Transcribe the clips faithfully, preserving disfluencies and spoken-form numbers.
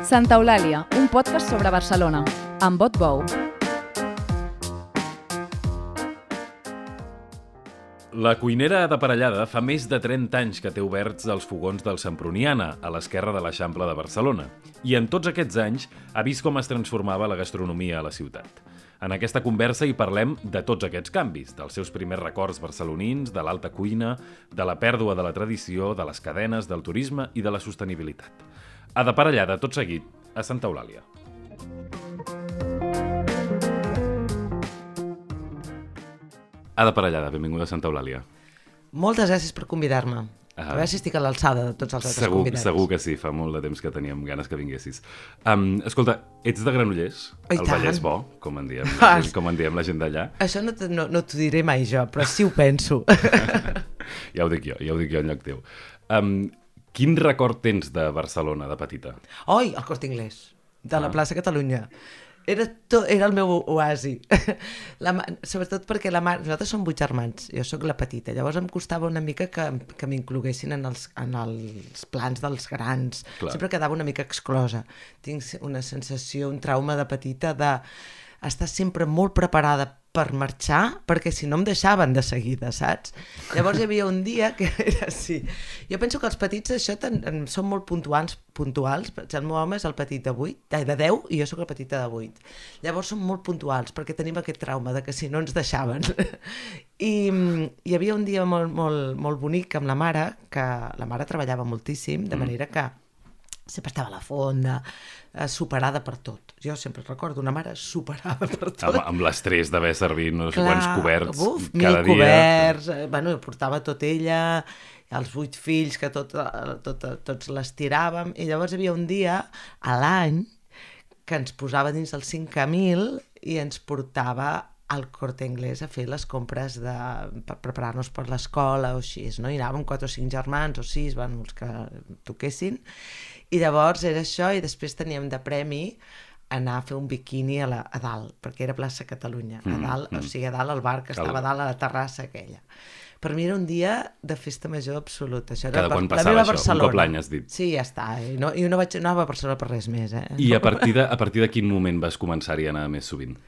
Santa Eulàlia, un podcast sobre Barcelona, amb Bot Bou. La cuinera d'aparellada fa més de trenta anys que té oberts els fogons del Semproniana, a l'esquerra de l'Eixample de Barcelona, i en tots aquests anys ha vist com es transformava la gastronomia a la ciutat. En aquesta conversa hi parlem de tots aquests canvis, dels seus primers records barcelonins, de l'alta cuina, de la pèrdua de la tradició, de les cadenes, del turisme i de la sostenibilitat. A d'aparellada, tot seguit, a Santa Eulàlia. A d'aparellada, benvinguda a Santa Eulàlia. Moltes gràcies per convidar-me. Ah. A veure si estic a l'alçada de tots els altres Segur, convidats. segur que sí, fa molt de temps que teníem ganes que vinguessis. Um, escolta, ets de Granollers? I el tant. Vallès Bo, com en diem, Ah, la gent, com en diem la gent d'allà. Això no, te- no, no t'ho diré mai jo, però sí ho penso. Ja ho dic jo, ja ho dic jo en lloc teu. Um, quin record tens de Barcelona, de petita? Oi, el Corte Inglés, de la Ah. plaça Catalunya. Era, to, era el meu oasi. La, ma- sobretot perquè la mare... Nosaltres som vuit germans, jo sóc la petita. Llavors em costava una mica que, que m'incloguessin en els, en els plans dels grans. Clar. Sempre quedava una mica exclosa. Tinc una sensació, un trauma de petita de estar sempre molt preparada per marxar, perquè si no em deixaven de seguida, saps? Llavors hi havia un dia que era així. Jo penso que els petits això ten, en, són molt puntuals, puntuals. El meu home és el petit de vuit, de deu, i jo sóc la petita de vuit. Llavors són molt puntuals, perquè tenim aquest trauma de que si no ens deixaven. I mm, hi havia un dia molt, molt, molt bonic amb la mare, que la mare treballava moltíssim, de manera que sempre estava a la fonda, eh, superada per tot. Jo sempre recordo una mare superada per tot. Amb, amb l'estrès d'haver servit no sé quants coberts buf, cada mil dia. coberts, eh, bueno, portava tot ella, els vuit fills que tot, eh, tot, tots les tiràvem, i llavors hi havia un dia a l'any que ens posava dins el cinc mil i ens portava al Corte Inglés a fer les compres de, per preparar-nos per l'escola o així, no? I anàvem quatre o cinc germans o sis, bueno, els que toquessin, i llavors era això, i després teníem de premi anar a fer un biquini a, la, a dalt, perquè era plaça Catalunya, a dalt, mm, mm. o sigui, a dalt al bar que estava a dalt a la terrassa aquella. Per mi era un dia de festa major absoluta. Això era Cada quan la passava meva això? Un Barcelona. cop l'any, has dit? Sí, ja està. I no, i no vaig anar a Barcelona per res més. Eh? I a partir, de, a partir de quin moment vas començar-hi a anar més sovint?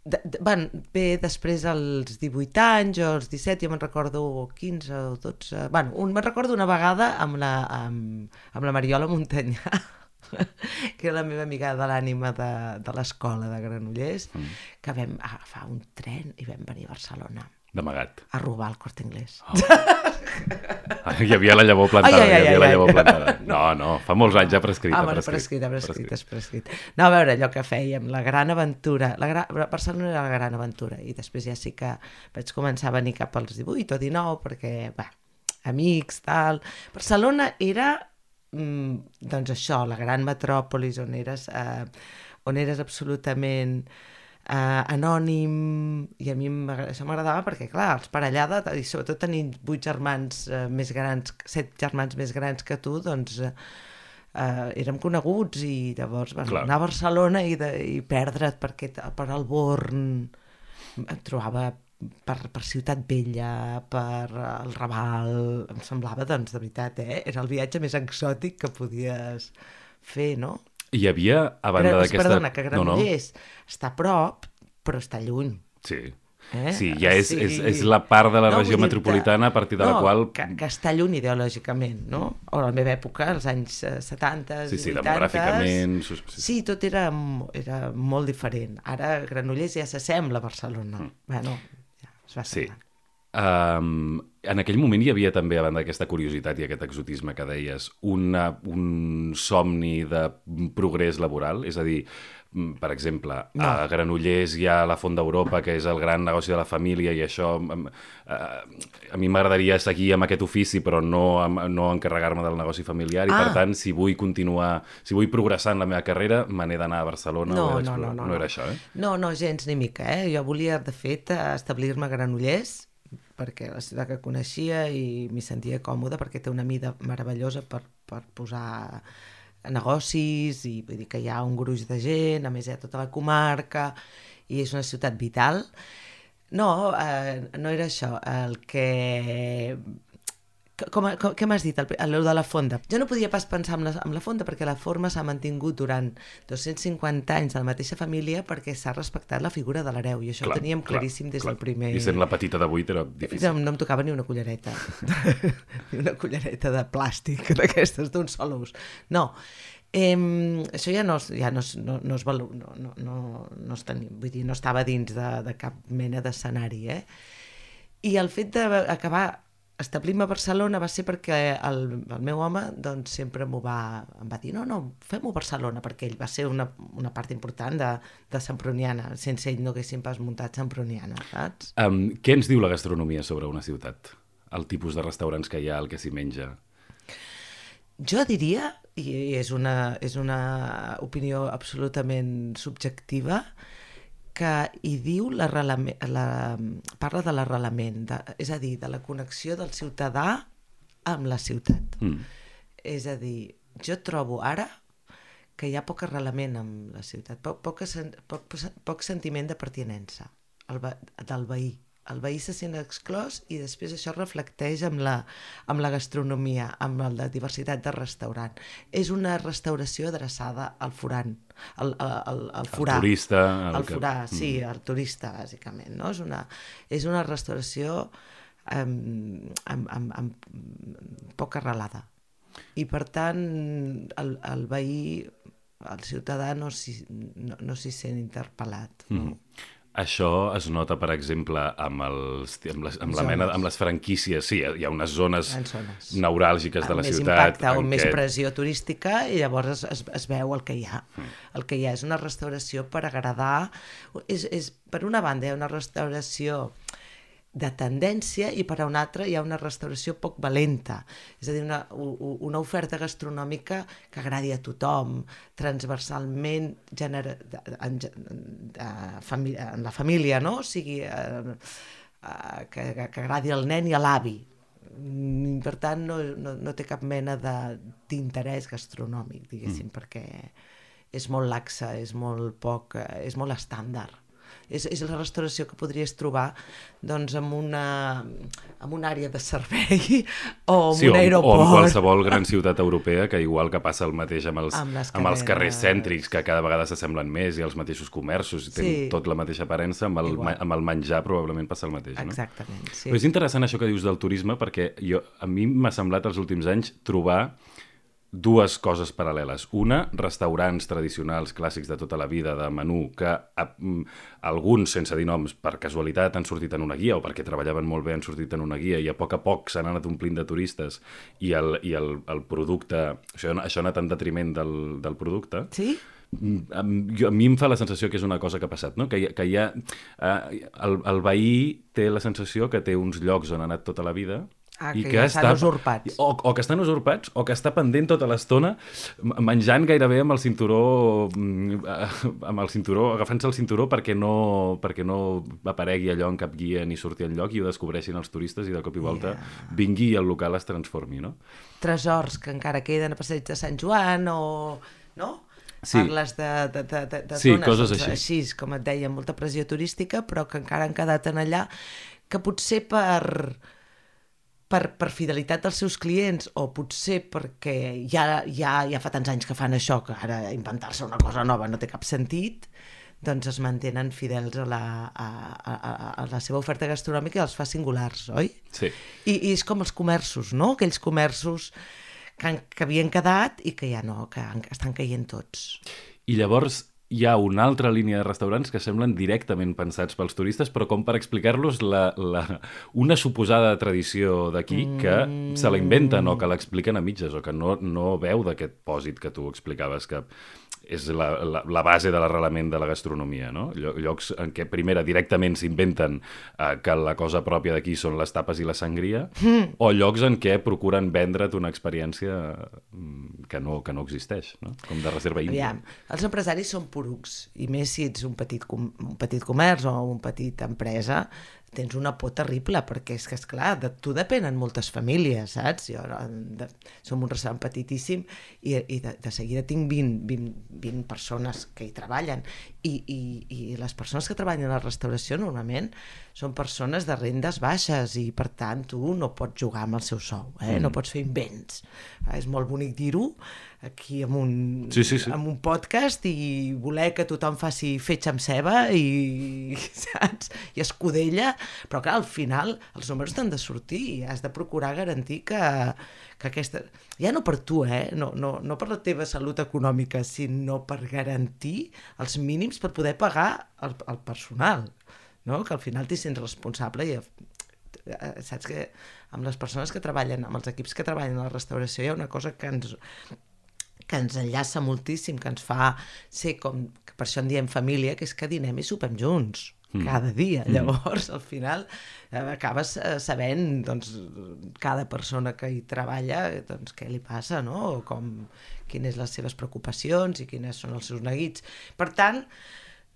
De, de, van, bé, després als divuit anys o als disset, jo me'n recordo quinze o dotze... Bueno, un, me'n recordo una vegada amb la, amb, amb la Mariola Montanyà, que era la meva amiga de l'ànima de, de l'escola de Granollers, mm. que vam agafar un tren i vam venir a Barcelona. D'amagat. A robar el Corte Inglés. Oh. Hi havia la llavor plantada, ai, ai, hi havia ai, la ai. llavor plantada. No, no, fa molts anys ja prescrit. Ah, bueno, prescrit, ha prescrit, ha prescrit. No, a veure, allò que fèiem, la gran aventura, la gra... Barcelona era la gran aventura, i després ja sí que vaig començar a venir cap als divuit o dinou, perquè, bé, amics, tal... Barcelona era, mm, doncs això, la gran metròpolis on eres, eh, on eres absolutament... Uh, anònim, i a mi això m'agradava perquè, clar, els parellada, i sobretot tenint vuit germans uh, més grans, set germans més grans que tu, doncs uh, uh, érem coneguts, i llavors bueno, anar a Barcelona i, de, i perdre't perquè, per el Born, em trobava per, per Ciutat Vella, per el Raval, em semblava, doncs, de veritat, eh? Era el viatge més exòtic que podies fer, no? Hi havia, a banda d'aquesta... Perdona, que Granollers no, no. està a prop, però està lluny. Sí, eh? sí, ja és, sí. és, és la part de la no, regió metropolitana a partir de no, la qual... Que, que està lluny ideològicament, no? O a la meva època, als anys setanta, sí, sí, vuitanta... demogràficament... Sí, sí, tot era, era molt diferent. Ara Granollers ja s'assembla a Barcelona. Mm. Bueno, ja es va sí. semblant. Um, en aquell moment hi havia també, a banda d'aquesta curiositat i aquest exotisme que deies, una, un somni de progrés laboral? És a dir, per exemple, no. a Granollers hi ha la Font d'Europa, que és el gran negoci de la família, i això... Uh, a mi m'agradaria seguir amb aquest ofici, però no, no encarregar-me del negoci familiar, i ah. per tant, si vull continuar, si vull progressar en la meva carrera, me n'he d'anar a Barcelona. No, o no, no, no, no era això, eh? No, no, gens ni mica, eh? Jo volia, de fet, establir-me a Granollers, perquè la ciutat que coneixia i m'hi sentia còmoda, perquè té una mida meravellosa per, per posar negocis, i vull dir que hi ha un gruix de gent, a més hi ha tota la comarca, i és una ciutat vital. No, eh, no era això. El que Com, com, què m'has dit, el, el de la fonda? Jo no podia pas pensar en la, en la fonda perquè la forma s'ha mantingut durant dos-cents cinquanta anys de la mateixa família perquè s'ha respectat la figura de l'hereu i això clar, ho teníem claríssim clar, des clar. del primer... I sent la petita de vuit era difícil. No, no em tocava ni una cullereta, ni una cullereta de plàstic d'aquestes d'un sol ús. No, eh, això ja no, ja no, no, no, es valo, no, no, no, no, es tenia, vull dir, no estava dins de, de cap mena d'escenari, eh? I el fet d'acabar establir-me a Barcelona va ser perquè el, el meu home doncs, sempre m'ho va, em va dir no, no, fem-ho a Barcelona, perquè ell va ser una, una part important de, de Semproniana. Sense ell no haguéssim pas muntat Semproniana, saps? Um, què ens diu la gastronomia sobre una ciutat? El tipus de restaurants que hi ha, el que s'hi menja? Jo diria, i és una, és una opinió absolutament subjectiva, que hi diu l'arrelament, la, parla de l'arrelament, de, és a dir, de la connexió del ciutadà amb la ciutat. Mm. És a dir, jo trobo ara que hi ha poc arrelament amb la ciutat, poc, poc, poc, poc sentiment de pertinença el, del veí. El veí se sent exclòs i després això reflecteix amb la, amb la gastronomia, amb la diversitat de restaurant. És una restauració adreçada al forant, al, al, al forà. El turista. El, el forà, que... sí, el turista, bàsicament. No? És, una, és una restauració amb, amb, amb, amb poc arrelada. I per tant, el, el veí, el ciutadà no s'hi no, no s'hi sent interpel·lat. No? Mm. Això es nota, per exemple, amb, els, amb, les, amb, la mena, amb les franquícies. Sí, hi ha unes zones, zones. neuràlgiques de la més ciutat. Impacte, o més què... pressió turística i llavors es, es veu el que hi ha. Mm. El que hi ha és una restauració per agradar. És, és, per una banda, hi ha una restauració de tendència i per a una altra hi ha una restauració poc valenta, és a dir, una, una oferta gastronòmica que agradi a tothom, transversalment genera, en, en, en la família, no? O sigui, eh, que, que agradi al nen i a l'avi. Per tant, no, no, no té cap mena d'interès gastronòmic, diguéssim, mm. perquè és molt laxa, és molt poc, és molt estàndard. És, és la restauració que podries trobar doncs, en, una, en una àrea de servei o en sí, un aeroport. O en qualsevol gran ciutat europea, que igual que passa el mateix amb els, amb amb els carrers cèntrics, que cada vegada s'assemblen més, i els mateixos comerços, i tenen sí. tot la mateixa aparença, amb el, amb el menjar probablement passa el mateix. No? Exactament, sí. Però és interessant això que dius del turisme, perquè jo, a mi m'ha semblat els últims anys trobar dues coses paral·leles. Una, restaurants tradicionals, clàssics de tota la vida, de menú, que a, alguns, sense dir noms, per casualitat han sortit en una guia, o perquè treballaven molt bé han sortit en una guia, i a poc a poc s'han anat omplint de turistes, i el, i el, el producte... Això, això ha anat en detriment del, del producte. Sí? A, a mi em fa la sensació que és una cosa que ha passat, no? Que hi ha, que hi ha eh, el, el veí té la sensació que té uns llocs on ha anat tota la vida. Ah, que, I que ja estan està, usurpats. O, o que estan usurpats, o que està pendent tota l'estona menjant gairebé amb el cinturó, amb el cinturó, agafant-se el cinturó perquè no, perquè no aparegui allò en cap guia ni surti enlloc i ho descobreixin els turistes i de cop i volta yeah. vingui i el local es transformi, no? Tresors que encara queden a passeig de Sant Joan o... no? Sí. Parles de, de, de, de, de sí, zones coses doncs, així. així, com et deia, molta pressió turística, però que encara han quedat en allà, que potser per... Per, per fidelitat dels seus clients o potser perquè ja, ja, ja fa tants anys que fan això que ara inventar-se una cosa nova no té cap sentit, doncs es mantenen fidels a la, a, a, a la seva oferta gastronòmica i els fa singulars, oi? Sí. I, i és com els comerços, no? Aquells comerços que, han, que havien quedat i que ja no, que han, estan caient tots. I llavors hi ha una altra línia de restaurants que semblen directament pensats pels turistes, però com per explicar-los la, la, una suposada tradició d'aquí que mm. se la inventen o que l'expliquen a mitges o que no, no veu d'aquest pòsit que tu explicaves, que és la, la, la base de l'arrelament de la gastronomia, no? Llocs en què, primera, directament s'inventen eh, que la cosa pròpia d'aquí són les tapes i la sangria, mm. o llocs en què procuren vendre't una experiència que no, que no existeix, no? Com de reserva índia. Aviam, els empresaris són porucs, i més si ets un petit, com, un petit comerç o una petita empresa, tens una por terrible, perquè és que, esclar, de tu depenen moltes famílies, saps? Jo de, som un restaurant petitíssim i, i de, de seguida tinc vint, vint, vint persones que hi treballen i, i, i les persones que treballen a la restauració normalment són persones de rendes baixes i, per tant, tu no pots jugar amb el seu sou, eh? Mm. No pots fer invents. Eh? És molt bonic dir-ho aquí amb un, sí, sí, sí. amb un podcast i voler que tothom faci fetge amb ceba i, saps? I escudella, però clar, al final els números t'han de sortir i has de procurar garantir que, que aquesta... Ja no per tu, eh? No, no, no per la teva salut econòmica, sinó per garantir els mínims per poder pagar el, el personal, no? Que al final t'hi sents responsable i saps que amb les persones que treballen, amb els equips que treballen a la restauració hi ha una cosa que ens... que ens enllaça moltíssim, que ens fa ser com, que per això en diem família, que és que dinem i sopem junts, mm. cada dia. Mm. Llavors, al final, eh, acabes eh, sabent, doncs, cada persona que hi treballa, doncs, què li passa, no? O com, quines les seves preocupacions i quines són els seus neguits. Per tant,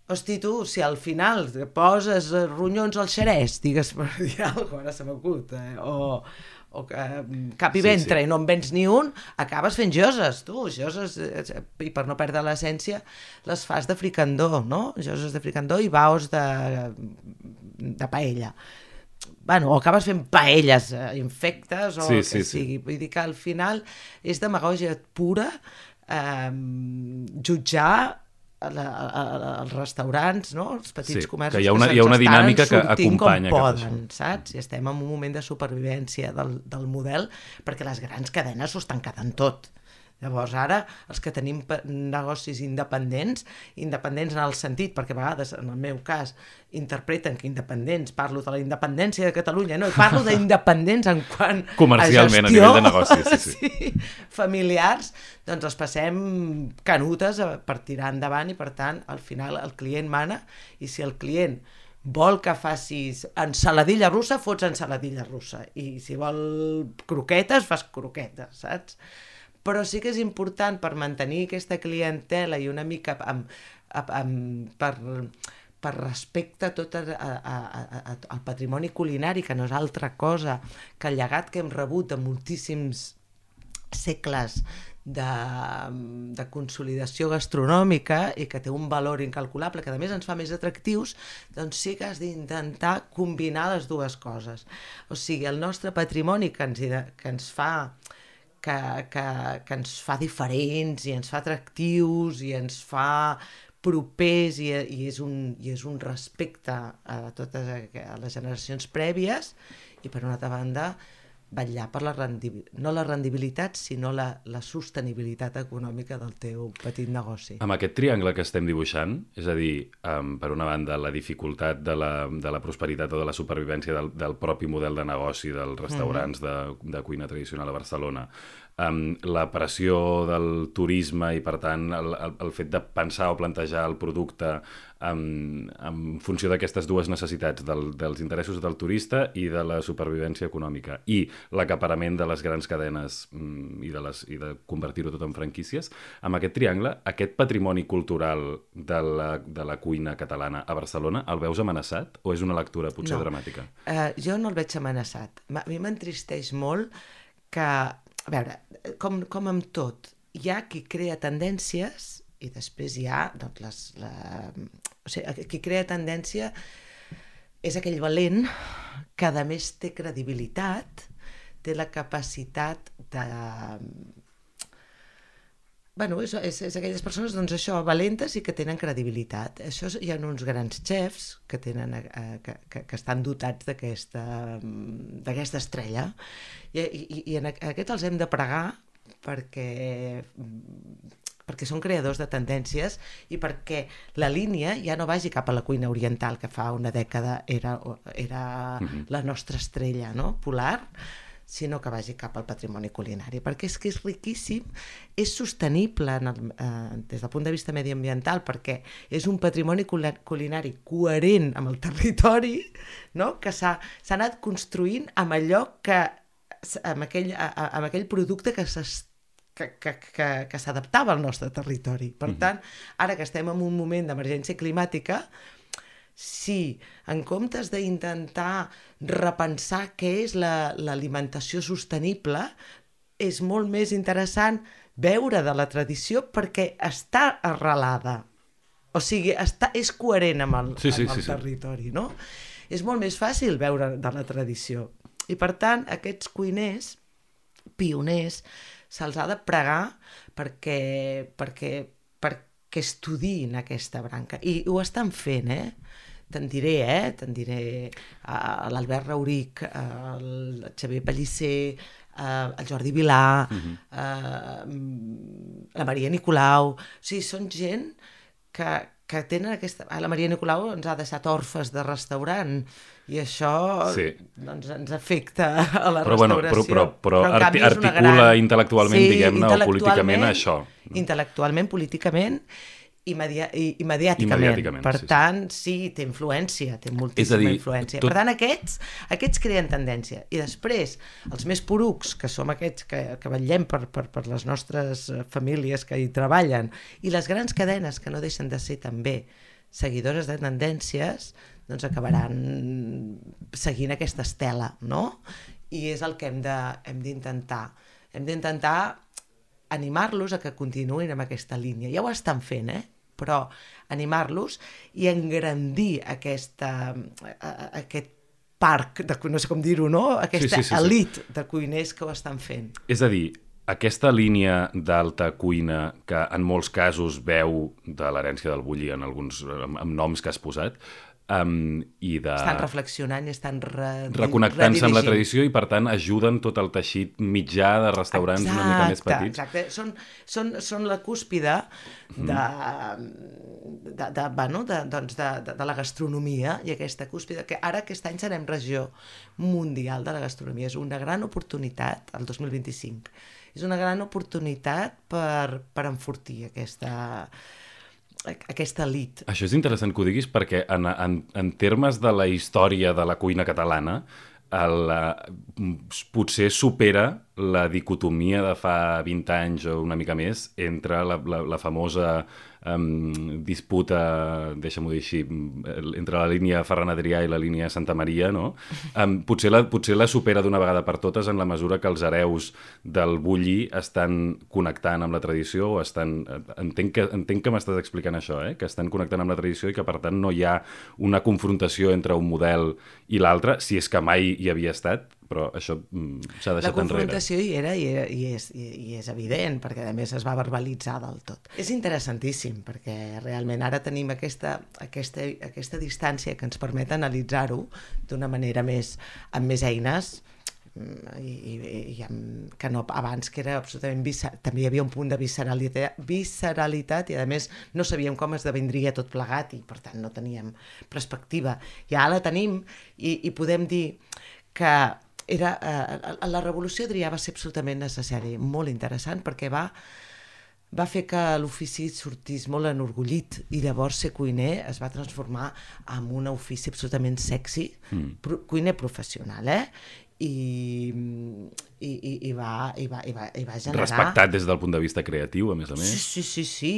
hosti, tu, si al final poses ronyons al xerès, digues per dir alguna cosa, ara se m'acut, eh? o... o que cap i ventre sí, sí. i no en vens ni un, acabes fent joses, tu, joses, i per no perdre l'essència, les fas de fricandó, no? Joses de fricandó i baos de, de paella. Bueno, o acabes fent paelles infectes o sí, el que sí, sigui. Sí. Vull dir que al final és demagògia pura eh, jutjar A, a, a, als restaurants, no? Els petits sí, comerços que hi ha una, que hi ha una dinàmica que com acompanya poden, saps? I estem en un moment de supervivència del, del model perquè les grans cadenes s'ho estan quedant tot. Llavors ara els que tenim negocis independents, independents en el sentit, perquè a vegades en el meu cas interpreten que independents, parlo de la independència de Catalunya, no, parlo d'independents en quant comercialment, a gestió, a nivell de negoci, sí, sí. sí, familiars, doncs els passem canutes per tirar endavant i per tant al final el client mana i si el client vol que facis ensaladilla russa, fots ensaladilla russa i si vol croquetes, fas croquetes, saps? Però sí que és important per mantenir aquesta clientela i una mica amb, amb, amb, per, per respecte a tot a, a, a, a, al patrimoni culinari, que no és altra cosa que el llegat que hem rebut de moltíssims segles de, de consolidació gastronòmica i que té un valor incalculable, que a més ens fa més atractius, doncs sí que has d'intentar combinar les dues coses. O sigui, el nostre patrimoni que ens, que ens fa... Que, que, que ens fa diferents i ens fa atractius i ens fa propers i, i, és, un, i és un respecte a totes a les generacions prèvies i per una altra banda vetllar per la rendibilitat, no la rendibilitat, sinó la, la sostenibilitat econòmica del teu petit negoci. Amb aquest triangle que estem dibuixant, és a dir, um, per una banda, la dificultat de la, de la prosperitat o de la supervivència del, del propi model de negoci dels restaurants mm-hmm. de, de cuina tradicional a Barcelona, um, la pressió del turisme i, per tant, el, el, el fet de pensar o plantejar el producte um, en funció d'aquestes dues necessitats, del, dels interessos del turista i de la supervivència econòmica, i l'acaparament de les grans cadenes mm, i, de les, i de convertir-ho tot en franquícies, amb aquest triangle, aquest patrimoni cultural de la, de la cuina catalana a Barcelona, el veus amenaçat o és una lectura potser no. dramàtica? Uh, jo no el veig amenaçat. A mi m'entristeix molt que, a veure, com, com amb tot, hi ha qui crea tendències i després hi ha, doncs, les, la... o sigui, qui crea tendència és aquell valent que a més té credibilitat, té la capacitat de... Bueno, és, és, és aquelles persones, doncs això, valentes i que tenen credibilitat. Això hi ha uns grans xefs que, tenen, eh, que, que, que estan dotats d'aquesta d'aquesta estrella i, i, i en aquests els hem de pregar perquè... perquè són creadors de tendències i perquè la línia ja no vagi cap a la cuina oriental, que fa una dècada era, era mm-hmm. la nostra estrella, no? Polar, sinó que vagi cap al patrimoni culinari, perquè és que és riquíssim, és sostenible en el, eh, des del punt de vista mediambiental, perquè és un patrimoni culinari coherent amb el territori, no? Que s'ha, s'ha anat construint amb allò que, amb aquell, amb aquell producte que s'està que, que, que, que s'adaptava al nostre territori. Per tant, ara que estem en un moment d'emergència climàtica, si en comptes d'intentar repensar què és la, l'alimentació sostenible, és molt més interessant veure de la tradició perquè està arrelada. O sigui, està, és coherent amb el, sí, sí, amb el sí, territori, sí. No? És molt més fàcil veure de la tradició. I per tant, aquests cuiners, pioners, se'ls ha de pregar perquè, perquè, perquè estudiïn aquesta branca. I ho estan fent, eh? Te'n diré, eh? Te'n diré uh, l'Albert Rauric, uh, el Xavier Pellicer, uh, el Jordi Vilà, uh-huh. uh, la Maria Nicolau... O sigui, són gent que, que tenen aquesta... Ah, la Maria Nicolau ens ha deixat orfes de restaurant i això sí. doncs, ens afecta a la però, restauració. Bueno, però però, però arti- articula gran... intel·lectualment, sí, diguem-ne, intel·lectualment, o políticament això. Intel·lectualment, políticament i, media- i, i mediàticament. I mediàticament. Per sí, tant, sí. sí, té influència, té moltíssima dir, influència. Tot... Per tant, aquests, aquests creen tendència. I després, els més porucs, que som aquests que, que vetllem per, per, per les nostres famílies que hi treballen, i les grans cadenes que no deixen de ser també seguidores de tendències, doncs acabaran seguint aquesta estela, no? I és el que hem de, hem d'intentar. Hem d'intentar animar-los a que continuïn amb aquesta línia. Ja ho estan fent, eh? Però animar-los i engrandir aquesta, aquest parc, de, no sé com dir-ho, no? Aquesta sí, sí, sí, elit sí. de cuiners que ho estan fent. És a dir, aquesta línia d'alta cuina que en molts casos veu de l'herència del Bulli en alguns amb, amb noms que has posat, Um, i de... estan reflexionant i estan re... reconnectant-se amb la tradició i per tant ajuden tot el teixit mitjà de restaurants exacte, una mica més petits. Exacte, són, són, són la cúspide de, mm. de, de, bueno, de, doncs de, de, de la gastronomia i aquesta cúspide que ara aquest any serem regió mundial de la gastronomia. És una gran oportunitat el dos mil vint-i-cinc. És una gran oportunitat per, per enfortir aquesta... aquesta elit. Això és interessant que ho diguis perquè en, en, en termes de la història de la cuina catalana el, potser supera la dicotomia de fa vint anys o una mica més entre la, la, la famosa um, disputa, deixa'm-ho dir així, entre la línia Ferran Adrià i la línia Santa Maria, no? Um, potser, la, potser la supera d'una vegada per totes en la mesura que els hereus del Bulli estan connectant amb la tradició o estan... Entenc que, entenc que m'estàs explicant això, eh? Que estan connectant amb la tradició i que per tant no hi ha una confrontació entre un model i l'altre, si és que mai hi havia estat, però això mm, s'ha deixat enrere. La confrontació enrere. hi era i, era, i, és, i, i és evident, perquè a més es va verbalitzar del tot. És interessantíssim, perquè realment ara tenim aquesta, aquesta, aquesta distància que ens permet analitzar-ho d'una manera més, amb més eines, i, i, i amb, que no abans que era absolutament visceral, també hi havia un punt de visceralitat, visceralitat i a més no sabíem com esdevindria tot plegat i per tant no teníem perspectiva. I ara la tenim i, i podem dir que era, eh, la revolució Adrià va ser absolutament necessari, molt interessant perquè va va fer que l'ofici sortís molt enorgullit i llavors ser cuiner es va transformar en un ofici absolutament sexy, mm. pro, cuiner professional, eh? I, i, i, i, va, i, va, i, va, i va generar... Respectat des del punt de vista creatiu, a més a més. Sí, sí, sí, sí.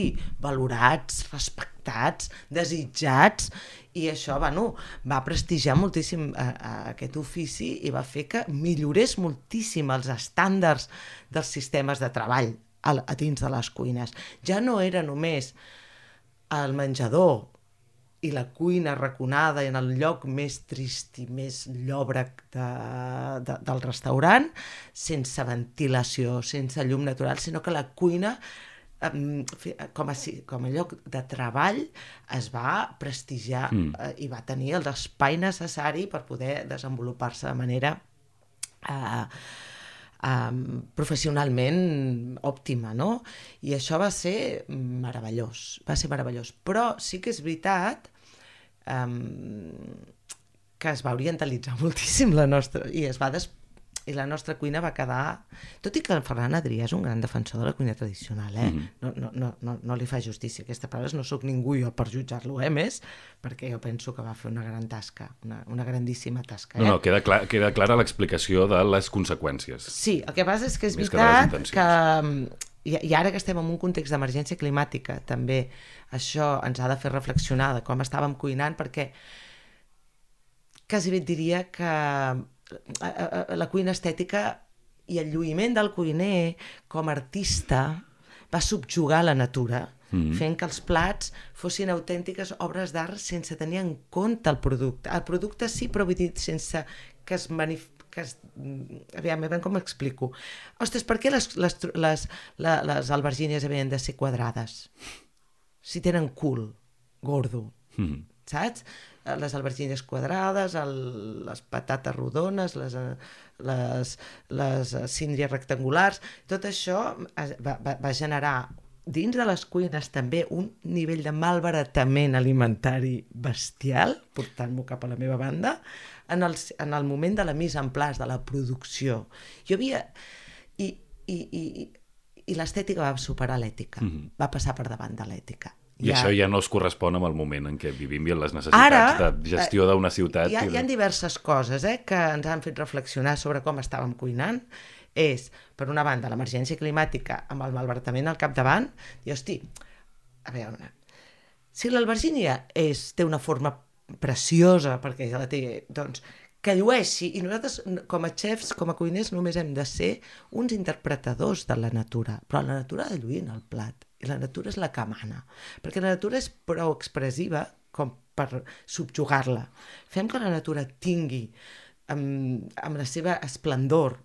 Valorats, respectats, desitjats, i això, bueno, va prestigiar moltíssim a, a aquest ofici i va fer que millorés moltíssim els estàndards dels sistemes de treball a, a dins de les cuines. Ja no era només el menjador i la cuina raconada en el lloc més trist i més llòbrec de, de, del restaurant, sense ventilació, sense llum natural, sinó que la cuina com a, com a lloc de treball es va prestigiar mm. eh, i va tenir l'espai necessari per poder desenvolupar-se de manera eh, eh, professionalment òptima, no? I això va ser meravellós, va ser meravellós. Però sí que és veritat eh, que es va orientalitzar moltíssim la nostra, i es va des i la nostra cuina va quedar... Tot i que el Ferran Adrià és un gran defensor de la cuina tradicional, eh? Mm-hmm. no, no, no, no, no li fa justícia aquestes paraules, no sóc ningú jo per jutjar-lo, eh, més, perquè jo penso que va fer una gran tasca, una, una grandíssima tasca. Eh? No, no, queda, clar, queda clara l'explicació de les conseqüències. Sí, el que passa és que és veritat que, que i, i ara que estem en un context d'emergència climàtica, també això ens ha de fer reflexionar de com estàvem cuinant, perquè quasi bé et diria que la cuina estètica i el lluïment del cuiner com a artista va subjugar la natura, mm-hmm. fent que els plats fossin autèntiques obres d'art sense tenir en compte el producte. El producte sí, però vull dir, sense que es manifesti que es... aviam, aviam com m'explico. Ostres, per què les, les, les, les, les albergínies havien de ser quadrades? Si tenen cul, gordo, mm. saps? Les albergínies quadrades, el, les patates rodones, les, les, les síndries rectangulars, tot això va, va, va generar dins de les cuines també un nivell de malbaratament alimentari bestial, portant-m'ho cap a la meva banda, en el, en el moment de la mise en place, de la producció. Jo havia... I, i, i, i l'estètica va superar l'ètica, mm-hmm. va passar per davant de l'ètica. I ja... això ja no es correspon amb el moment en què vivim i en les necessitats Ara, de gestió d'una ciutat. Hi ha, i de... hi ha diverses coses eh, que ens han fet reflexionar sobre com estàvem cuinant. És, per una banda, l'emergència climàtica amb el malbaratament al capdavant, i hosti, a veure, si l'albergínia és, té una forma preciosa, perquè ja la té, doncs, que llueixi, i nosaltres, com a xefs, com a cuiners, només hem de ser uns interpretadors de la natura, però la natura ha de lluir en el plat, i la natura és la que mana, perquè la natura és prou expressiva com per subjugar-la. Fem que la natura tingui, amb, amb la seva esplendor.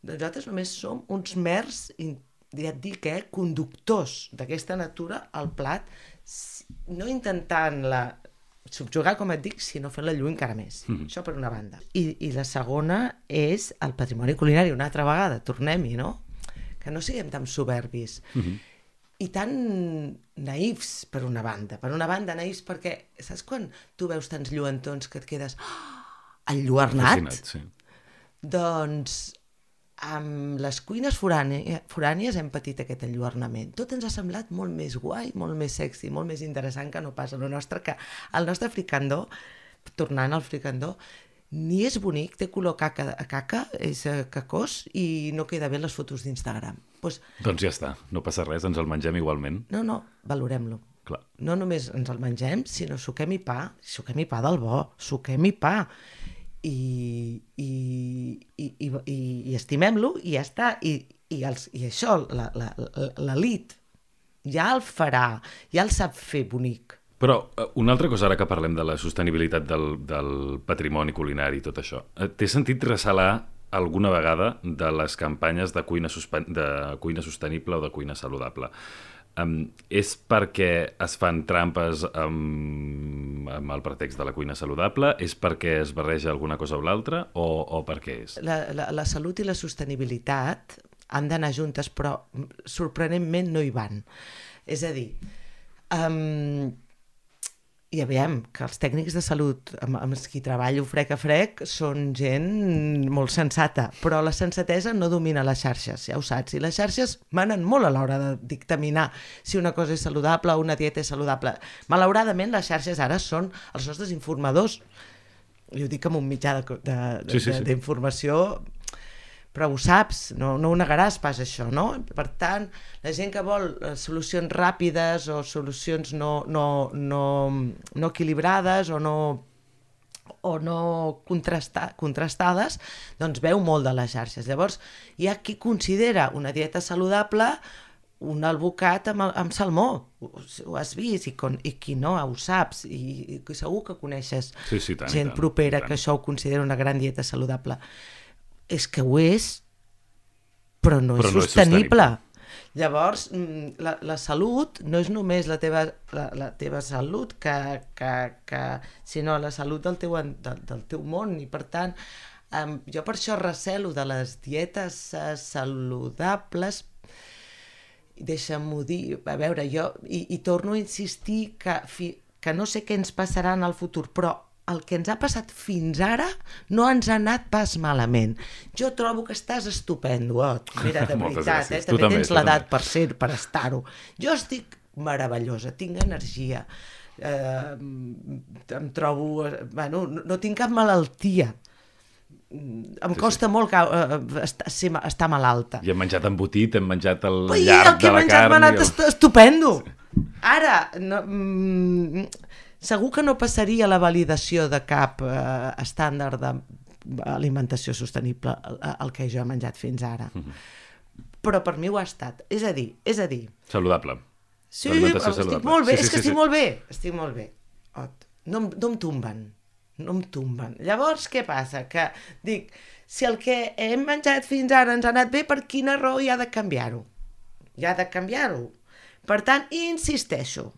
Nosaltres només som uns mers, ja et dic, eh, conductors d'aquesta natura al plat, no intentant-la subjugar, com et dic, sinó fent-la lluir encara més. Mm-hmm. Això per una banda. I, I la segona és el patrimoni culinari, una altra vegada, tornem-hi, no? Que no siguem tan soberbis. Mm-hmm. I tan naïfs, per una banda. Per una banda, naïfs perquè, saps quan tu veus tants lluentons que et quedes oh, enlluernat? Fascinat, sí. Doncs amb les cuines forànies hem patit aquest enlluernament. Tot ens ha semblat molt més guai, molt més sexy, molt més interessant que no pas el nostre, que el nostre fricandó, tornant al fricandó, ni és bonic, té color caca, caca, és cacós i no queda bé les fotos d'Instagram. Pues, doncs ja està, no passa res, ens el mengem igualment. No, no, valorem-lo. Clar. No només ens el mengem, sinó suquem-hi pa, suquem-hi pa del bo, suquem-hi pa. I, i, i, i, i estimem-lo i ja està, i, i, els, i això l'elit ja el farà, ja el sap fer bonic. Però una altra cosa, ara que parlem de la sostenibilitat del, del patrimoni culinari i tot això, t'he sentit ressalar alguna vegada de les campanyes de cuina, suspen... de cuina sostenible o de cuina saludable. Um, és perquè es fan trampes amb, amb el pretext de la cuina saludable? És perquè es barreja alguna cosa o l'altra? O, o per què és? La, la, la salut i la sostenibilitat han d'anar juntes, però sorprenentment no hi van. És a dir, um, i veiem que els tècnics de salut amb, amb els qui treballo frec a frec són gent molt sensata, però la sensatesa no domina les xarxes, ja ho saps, i les xarxes manen molt a l'hora de dictaminar si una cosa és saludable o una dieta és saludable. Malauradament les xarxes ara són els nostres informadors, i ho dic amb un mitjà de, de, de, sí, sí, sí. d'informació, però ho saps, no, no ho negaràs pas això, no? Per tant, la gent que vol solucions ràpides o solucions no, no, no, no equilibrades o no, o no contrasta, contrastades, doncs veu molt de les xarxes. Llavors, hi ha qui considera una dieta saludable un albocat amb, amb salmó, ho, ho has vist, i, con, i qui no, ho saps, i, i segur que coneixes sí, sí, tant, gent tant, propera tant. Que això ho considera una gran dieta saludable. És que ho és, però no però és, no sostenible. és sostenible. Llavors, la, la salut no és només la teva, la, la teva salut, que, que, que, sinó la salut del teu, del, del teu món. I per tant, um, jo per això recelo de les dietes uh, saludables. Deixa'm-ho dir, a veure, jo, i, i torno a insistir que, fi, que no sé què ens passarà en el futur, però el que ens ha passat fins ara no ens ha anat pas malament. Jo trobo que estàs estupendo, oh, mira, de veritat, eh? també, també tens l'edat per ser, per estar-ho. Jo estic meravellosa, tinc energia, eh, em trobo... Bueno, no, no tinc cap malaltia. em costa sí, sí. molt cau, uh, estar, estar malalta. I hem menjat embotit, hem menjat el Ui, llarg el que de la menjat carn... m'ha anat el... estupendo! Sí. Ara, no, mm, segur que no passaria la validació de cap uh, estàndard d'alimentació sostenible el, el que jo he menjat fins ara. Mm-hmm. Però per mi ho ha estat. És a dir, és a dir... Saludable. Sí, estic saludable. Molt bé, sí, sí, és que sí, estic sí. molt bé. Estic molt bé. Ot, no, no em tomben. No em tomben. Llavors, què passa? Que dic, si el que hem menjat fins ara ens ha anat bé, per quina raó hi ha de canviar-ho? Hi ha de canviar-ho. Per tant, insisteixo,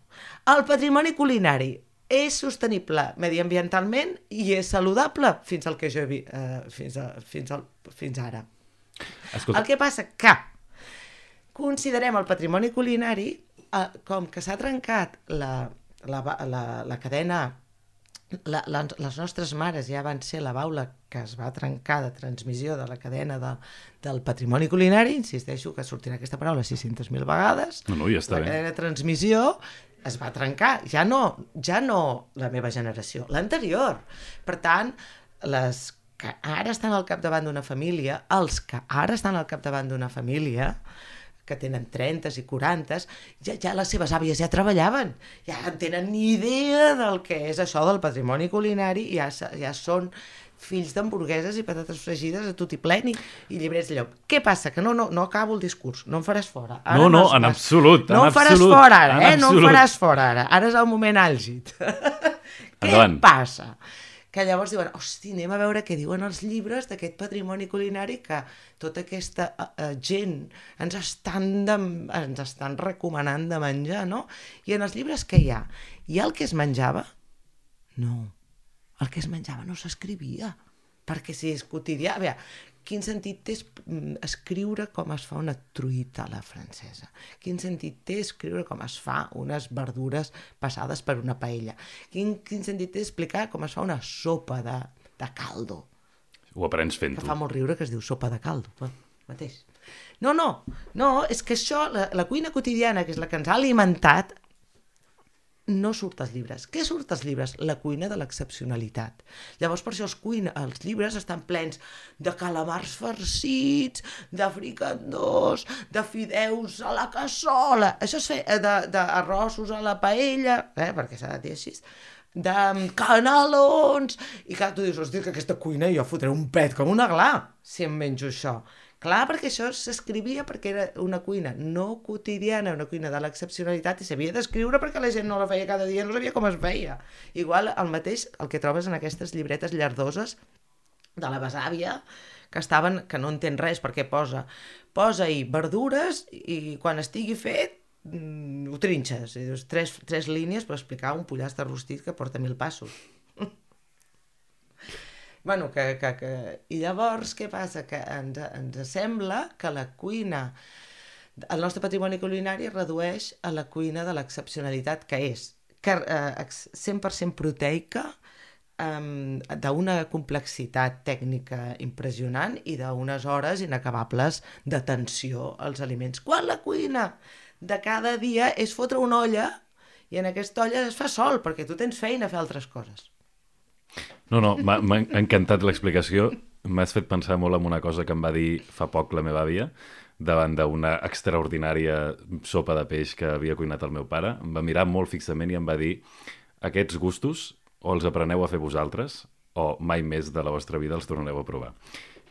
el patrimoni culinari és sostenible mediambientalment i és saludable fins al que jo he vist, eh, fins, a, fins, al, fins ara. Escolta. El que passa que considerem el patrimoni culinari eh, com que s'ha trencat la, la, la, la cadena. La, la, les nostres mares ja van ser la baula que es va trencar de transmissió de la cadena de, del patrimoni culinari, insisteixo que sortirà aquesta paraula sis-centes mil vegades, no, no, ja està la bé. cadena de transmissió es va trencar, ja no, ja no la meva generació, l'anterior. Per tant, les que ara estan al capdavant d'una família, els que ara estan al capdavant d'una família, que tenen trenta i quaranta, ja, ja les seves àvies ja treballaven, ja en tenen ni idea del que és això del patrimoni culinari, ja, ja són fills d'hamburgueses i patates fregides a tot i pleni i llibrets de llop. Què passa? Que no, no, no acabo el discurs, no em faràs fora. Ara no, no, no en absolut. No en em faràs absolut, fora ara, eh? No em absolut. faràs fora ara. Ara és el moment àlgid. Què passa? Que llavors diuen, hosti, anem a veure què diuen els llibres d'aquest patrimoni culinari que tota aquesta uh, gent ens estan, de, ens estan recomanant de menjar, no? I en els llibres què hi ha? Hi ha el que es menjava? No, el que es menjava no s'escrivia, perquè si és quotidià... A veure, quin sentit té escriure com es fa una truita a la francesa? Quin sentit té escriure com es fa unes verdures passades per una paella? Quin, quin sentit té explicar com es fa una sopa de, de caldo? Ho aprens fent-ho. Que fa molt riure que es diu sopa de caldo, però, mateix. No, no, no, és que això, la, la cuina quotidiana, que és la que ens ha alimentat, no surt als llibres. Què surt als llibres? La cuina de l'excepcionalitat. Llavors, per això els, cuina, els llibres estan plens de calamars farcits, de fricandós, de fideus a la cassola, això és fer, de, de arrossos a la paella, eh, perquè s'ha de dir així, de canelons, i clar, tu dius, hosti, que aquesta cuina jo fotré un pet com una gla si em menjo això. Clar, perquè això s'escrivia perquè era una cuina no quotidiana, una cuina de l'excepcionalitat i s'havia d'escriure perquè la gent no la feia cada dia, no sabia com es feia. Igual el mateix el que trobes en aquestes llibretes llardoses de la besàvia que estaven, que no entén res perquè posa posa-hi verdures i quan estigui fet mm, ho trinxes. I dius, tres, tres línies per explicar un pollastre rostit que porta mil passos. Bueno, que, que, que... I llavors, què passa? Que ens, ens sembla que la cuina, el nostre patrimoni culinari es redueix a la cuina de l'excepcionalitat que és, que, eh, cent per cent proteica, eh, d'una complexitat tècnica impressionant i d'unes hores inacabables d'atenció als aliments. Quan la cuina de cada dia és fotre una olla i en aquesta olla es fa sol, perquè tu tens feina a fer altres coses. No, no, m'ha encantat l'explicació. M'has fet pensar molt en una cosa que em va dir fa poc la meva àvia davant d'una extraordinària sopa de peix que havia cuinat el meu pare. Em va mirar molt fixament i em va dir aquests gustos o els apreneu a fer vosaltres o mai més de la vostra vida els tornareu a provar.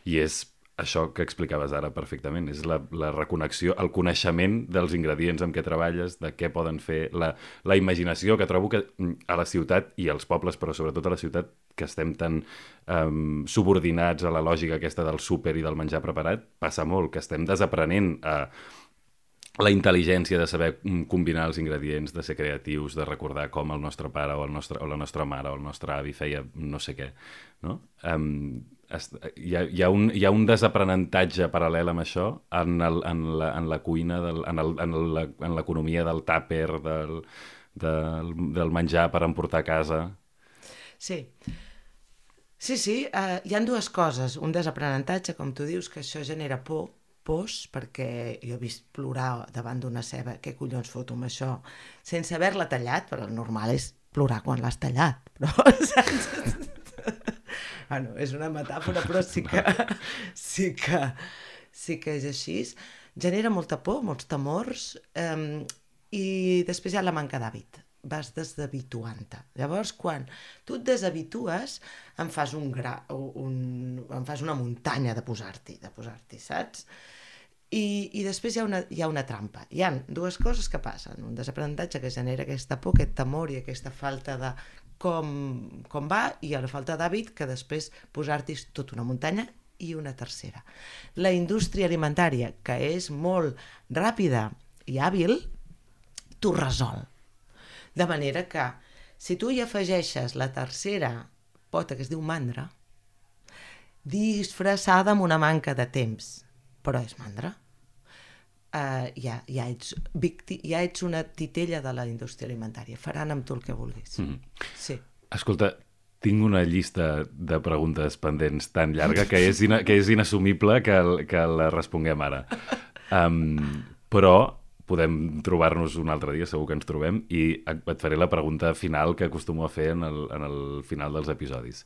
I és això que explicaves ara perfectament, és la, la reconnexió, el coneixement dels ingredients amb què treballes, de què poden fer, la, la imaginació, que trobo que a la ciutat i als pobles, però sobretot a la ciutat, que estem tan um, subordinats a la lògica aquesta del súper i del menjar preparat, passa molt, que estem desaprenent a la intel·ligència de saber combinar els ingredients, de ser creatius, de recordar com el nostre pare o, el nostre, o la nostra mare o el nostre avi feia no sé què, no? Um, Hi ha, hi, ha un, hi ha un desaprenentatge paral·lel amb això en, el, en, la, en la cuina, del, en, el, en, la, en l'economia del tàper, del, del, del menjar per emportar a casa. Sí, sí, sí uh, hi ha dues coses. Un desaprenentatge, com tu dius, que això genera por, pors, perquè jo he vist plorar davant d'una ceba, què collons foto amb això, sense haver-la tallat, però el normal és plorar quan l'has tallat, però... Bueno, és una metàfora, però sí que, sí que, sí que és així. Genera molta por, molts temors, eh, i després hi ha la manca d'hàbit. Vas deshabituant-te. Llavors, quan tu et deshabitues, em fas un gra... Un, em fas una muntanya de posar-t'hi, de posar-t'hi, saps? I, i després hi ha, una, hi ha una trampa. Hi ha dues coses que passen. Un desaprenentatge que genera aquesta por, aquest temor i aquesta falta de com, com va, i la falta d'hàbit que després posar-t'hi tota una muntanya. I una tercera. La indústria alimentària, que és molt ràpida i hàbil, t'ho resol. De manera que, si tu hi afegeixes la tercera pota, que es diu mandra, disfressada amb una manca de temps, però és mandra, uh, ja, ja, ets victi, ja ets una titella de la indústria alimentària. Faran amb tu el que vulguis. Mm. Sí. Escolta, tinc una llista de preguntes pendents tan llarga que és, ina, que és inassumible que, el, que la responguem ara. Um, però podem trobar-nos un altre dia, segur que ens trobem, i et faré la pregunta final que acostumo a fer en el, en el final dels episodis.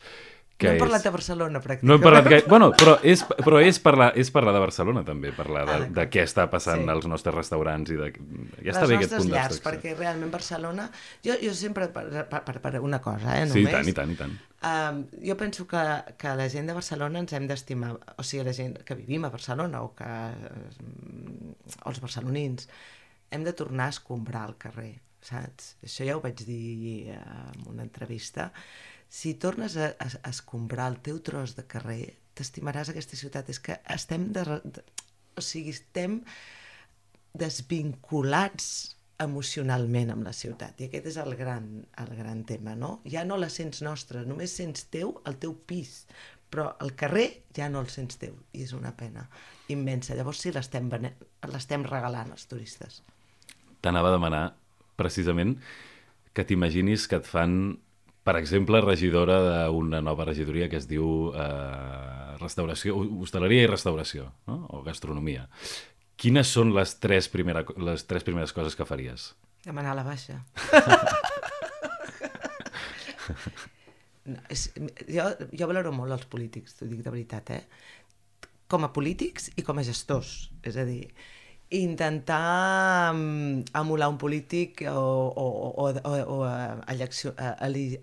No hem és... parlat de Barcelona, pràcticament. No hem parlat gaire... Bueno, però, és, però és, parlar, és parlar de Barcelona, també, parlar de, ah, de què està passant sí. als nostres restaurants i de... Ja està les bé aquest punt nostres llars, perquè realment Barcelona... Jo, jo sempre, per, per, per una cosa, eh, només... Sí, i tant, i tant, i tant. Um, jo penso que, que la gent de Barcelona ens hem d'estimar, o sigui, la gent que vivim a Barcelona o que o els barcelonins, hem de tornar a escombrar el carrer, saps? Això ja ho vaig dir en una entrevista. Si tornes a, a, a escombrar el teu tros de carrer, t'estimaràs aquesta ciutat. És que estem, de, de, o sigui, estem desvinculats emocionalment amb la ciutat, i aquest és el gran, el gran tema, no? Ja no la sents nostra, només sents teu el teu pis, però el carrer ja no el sents teu, i és una pena immensa. Llavors sí, l'estem l'estem regalant als turistes. T'anava a demanar, precisament, que t'imaginis que et fan, per exemple, regidora d'una nova regidoria que es diu eh, restauració, hostaleria i restauració, no? O gastronomia. Quines són les tres, primera, les tres primeres coses que faries? Demanar la baixa. No, és, jo, jo valoro molt els polítics, t'ho dic de veritat, eh? Com a polítics i com a gestors. És a dir, intentar um, emular un polític o, o, o, o, o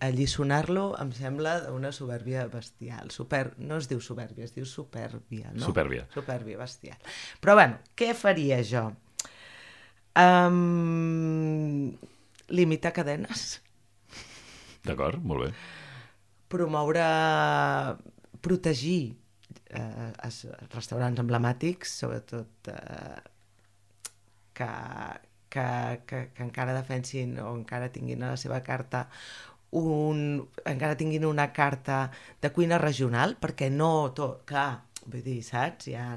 alliçonar-lo em sembla una supèrbia bestial. Super, no es diu supèrbia, es diu supèrbia, no? Supèrbia. Supèrbia bestial. Però bueno, què faria jo? Um, limitar cadenes. D'acord, molt bé. Promoure, protegir eh, els restaurants emblemàtics, sobretot eh, que, que, que, que encara defensin o encara tinguin a la seva carta un, encara tinguin una carta de cuina regional, perquè no tot, clar, vull dir, saps? Hi ha,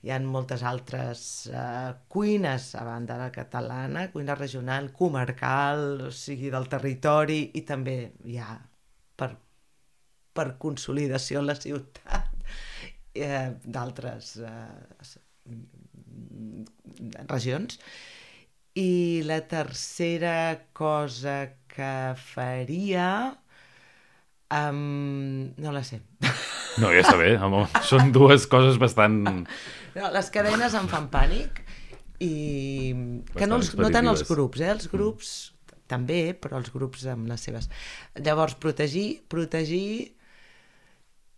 hi ha moltes altres uh, cuines a banda de la catalana, cuina regional, comarcal, o sigui, del territori, i també hi ha per, per consolidació en la ciutat eh, d'altres eh, regions. I la tercera cosa que faria um, no la sé. No, ja està bé, home. Són dues coses bastant... No, les cadenes em fan pànic i que no, els, no tant els grups, eh? Els grups mm. també, però els grups amb les seves. Llavors, protegir, protegir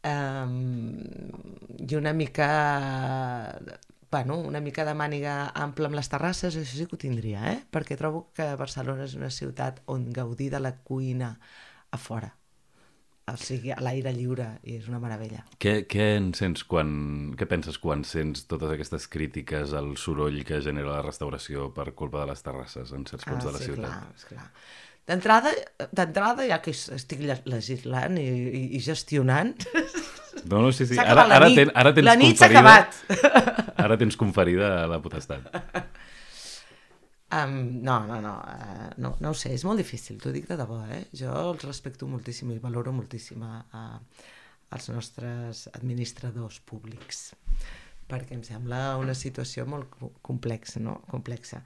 um, i una mica... Bueno, una mica de màniga ampla amb les terrasses, això sí que ho tindria, eh? Perquè trobo que Barcelona és una ciutat on gaudir de la cuina a fora, o sigui, a l'aire lliure, i és una meravella. Què, què en sents quan... Què penses quan sents totes aquestes crítiques al soroll que genera la restauració per culpa de les terrasses en certs punts ah, de la sí, ciutat? Clar, és clar. D'entrada, d'entrada, ja que estic legislant i, i, i gestionant... No, no, sí, sí. S'ha Ara, acabat la ara, nit. ten, ara tens la nit conferida... s'ha acabat. Ara tens conferida la potestat. Um, no, no, no, uh, no, no ho sé, és molt difícil, t'ho dic de debò, eh? Jo els respecto moltíssim i valoro moltíssim a, a, als nostres administradors públics, perquè em sembla una situació molt complexa, no? Complexa.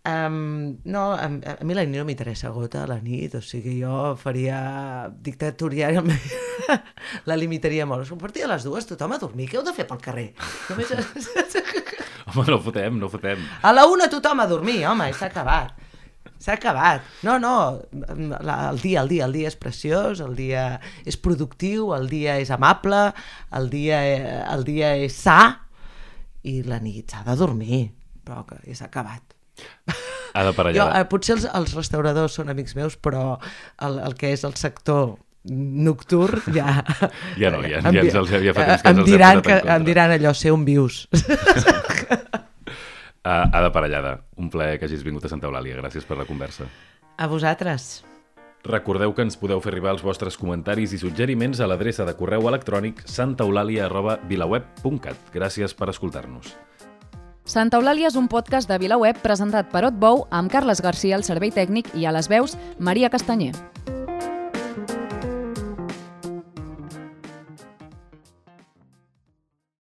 Um, no, a, a mi la nit no m'interessa gota, la nit, o sigui, jo faria dictatorial, la limitaria molt. A partir de les dues tothom a dormir, què heu de fer pel carrer? Només... Home, no fotem, no fotem. A la una tothom a dormir, home, s'ha acabat. S'ha acabat. No, no, el dia, el dia, el dia és preciós, el dia és productiu, el dia és amable, el dia, el dia és sa, i la nit s'ha de dormir, però que s'ha acabat. Ha de parellada. Jo, eh, potser els, els restauradors són amics meus, però el, el que és el sector nocturn ja... Ja no, ja, ja ens els havia fet temps em que ens els diran, he posat que, en contra. em diran allò, ser on vius. Uh, ha de parellada. Un plaer que hagis vingut a Santa Eulàlia. Gràcies per la conversa. A vosaltres. Recordeu que ens podeu fer arribar els vostres comentaris i suggeriments a l'adreça de correu electrònic santaeulàlia arroba vilaweb punt cat. Gràcies per escoltar-nos. Santa Eulàlia és un podcast de VilaWeb presentat per Otbou amb Carles Garcia al servei tècnic i a les veus Maria Castanyer.